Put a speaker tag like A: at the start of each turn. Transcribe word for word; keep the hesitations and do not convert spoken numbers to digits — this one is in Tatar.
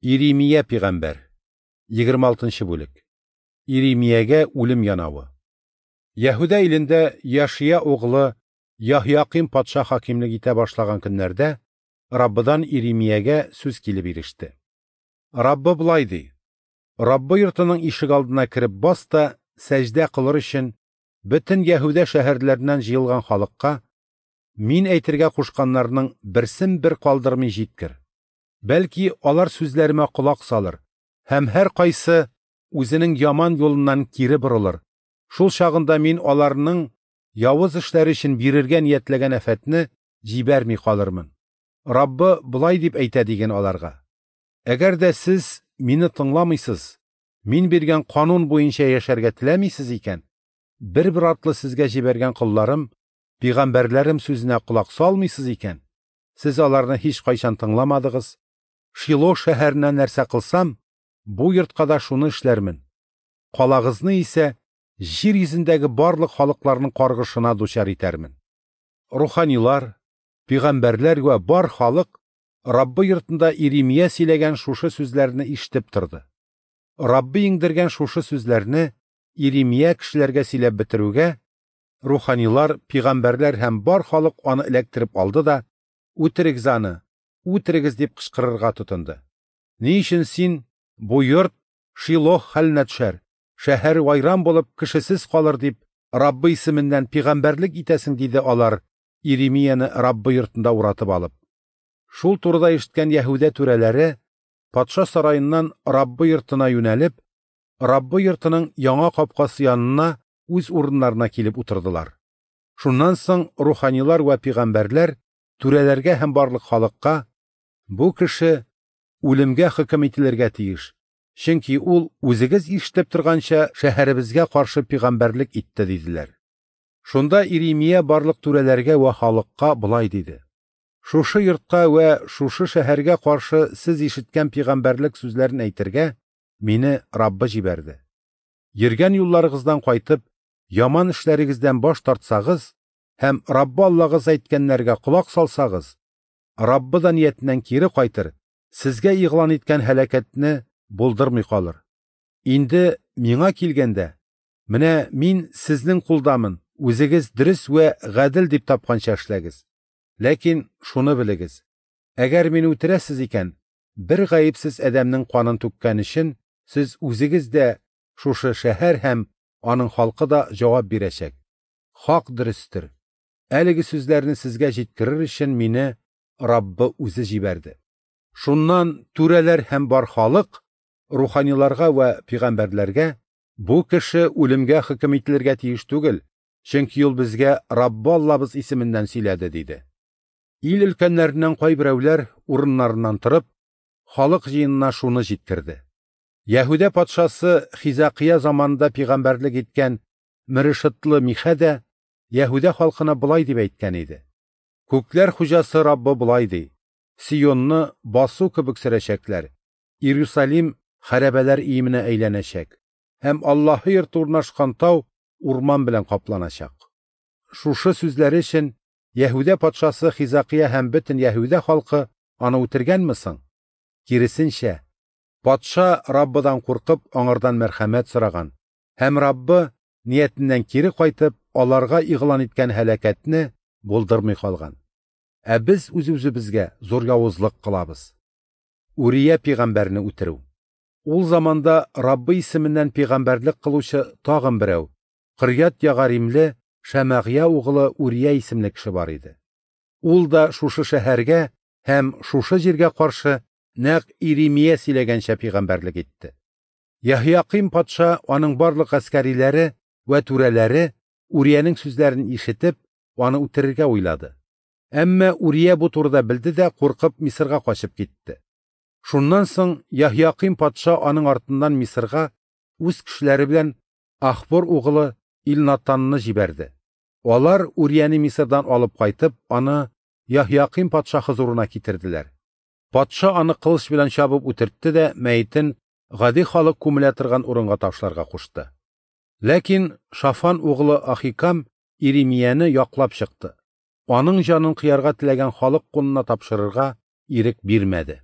A: Иремия пәйгамбәр. егерме алтынчы бүлек. Иремиягә үлем янавы. Яһүдә илендә Яшия углы Яһияким патша хакимлек итә башлаган көннәрдә Раббыдан Иремиягә сүз килеп иреште. Раббы болай ди: Раббы йортының ишек алдына кереп бас та сәҗдә кылыр өчен бөтен Яһүдә шәһәрләреннән җыелган халыкка мин әйтергә кушканнарның берсен бер калдырмый җиткер. Бәлки алар сүзләремә колак салыр һәм һәр кайсы үзенең яман юлыннан кире борылыр. Шул чагында мин аларның явыз эшләре өчен бирергә ниятләгән афәтне җибәрми калырмын. Раббы болай дип әйтә диген аларга: Әгәр дә сез мине тыңламыйсыз, мин биргән канун буенча яшәргә теләмисез икән, бер-бер артлы сезгә җибәргән колларым, пәйгамбәрләрем сүзенә колак салмыйсыз икән, сез аларны һич кайчан тыңламадыгыз. Шило шәһәренә нәрсә кылсам, бу йортка да шуны эшләрмен. Калагызны исә җир йөзендәге барлык халыкларның каргышына дучар итәрмен. Руханилар, пәйгамбәрләр вә бар халык Раббы йортында Иремия сөйләгән шушы сүзләрне ишетеп торды. Раббы иңдергән шушы сүзләрне Иремия кешеләргә сөйләп бетерүгә, руханилар, пәйгамбәрләр һәм бар халык аны эләктереп алды да, "Үтерегез аны, үтерегез" дип кычкырырга тотынды. Ни өчен син бу йорт Шилох хәленә төшәр, шәһәр вайран булып кешесез калыр дип Раббы исеменнән пәйгамбәрлек итәсең, диде алар Иремияне Раббы йортында уратып алып. Шул турыда ишеткән Яһүдә түрәләре патша сараеннан Раббы йортына юнәлеп, Раббы йортының яңа капкасы янына үз урыннарына килеп утырдылар. Шуннан соң руханилар вә пәйгамбәрләр түрәләргә һәм барлык халыкка: "Бу кеше үлемгә хөкем ителергә тиеш, чөнки ул үзегез ишетеп торганча шәһәребезгә каршы пәйгамбәрлек итте", диделәр. Шунда Иремия барлык түрәләргә вә халыкка болай диде: "Шушы йортка вә шушы шәһәргә каршы сез ишеткән пәйгамбәрлек сүзләрен әйтергә мине Раббы җибәрде. Йөргән юлларыгыздан кайтып, яман эшләрегездән баш тартсагыз һәм Раббы Аллагыз әйткәннәргә колак салсагыз, Раббы да ниятеннән кире кайтыр, сезгә игълан иткән һәлакәтне булдырмый калыр. Инде миңа килгәндә, менә мин сезнең кулдамын, үзегез дөрес вә гадел дип тапканча эшләгез. Ләкин шуны белегез: әгәр мине үтерәсез икән, бер гаепсез адәмнең канын түккән өчен сез үзегез дә, шушы шәһәр һәм аның халкы да җавап бирәчәк. Хак дөрестер. Әлеге сүзләрне сезгә җиткерер өчен мине Раббы үзе җибәрде." Шуннан түрәләр һәм бар халык руханиларга вә пәйгамбәрләргә: "Бу кеше үлемгә хөкем ителергә тиеш түгел, чөнки ул безгә Раббы Аллабыз исеменнән сөйләде", диде. Ил өлкәннәреннән кайберәүләр урыннарыннан торып, халык җыенына шуны җиткерде: Яһүдә патшасы Хизакия заманында пәйгамбәрлек иткән Мерешетлы Михә дә Яһүдә халкына болай дип әйткән иде: "Күкләр хуҗасы Раббы болай ди: Сионны басу кебек сөрәчәкләр, Иерусалим хәрабәләр өеменә әйләнәчәк, һәм Аллаһы йорты урнашкан тау урман белән капланачак." Шушы сүзләре өчен Яһүдә патшасы Хизакия һәм бөтен Яһүдә халкы аны үтергәнме соң? Киресенчә, патша Раббыдан куркып, аңардан мәрхәмәт сораган һәм Раббы ниятеннән кире кайтып, аларга игълан иткән һәлакәтне булдырмый калган. Ә без үз-үзебезгә зур явызлык кылабыз. Урия пәйгамбәрне үтерү. Ул заманда Раббы исеменнән пәйгамбәрлек кылучы тагын берәү, Кырьят Ягаримле Шәмәгъя углы Урия исемле кеше бар иде. Ул да шушы шәһәргә һәм шушы җиргә каршы нәкъ Иремия сөйләгәнчә пәйгамбәрлек итте. Яһияким патша, аның барлык гаскәриләре вә түрәләре Уриянең сүзләрен ишетеп, аны үтерергә уйлады. Әмма Урия бу турыда белде дә куркып Мисырга качып китте. Шуннан соң Яһияким патша аның артыннан Мисырга үз кешеләре белән Ахбор углы Илнатанны җибәрде. Алар Урияне Мисырдан алып кайтып, аны Яһияким патша хозурына китерделәр. Патша аны кылыч белән чабып үтертте дә мәетен гади халык күмелә торган урынга ташларга кушты. Ләкин Шафан углы Ахикам Иремияне яклап чыкты. Аның җанын кыярга теләгән халык кулына тапшырырга ирек бирмәде.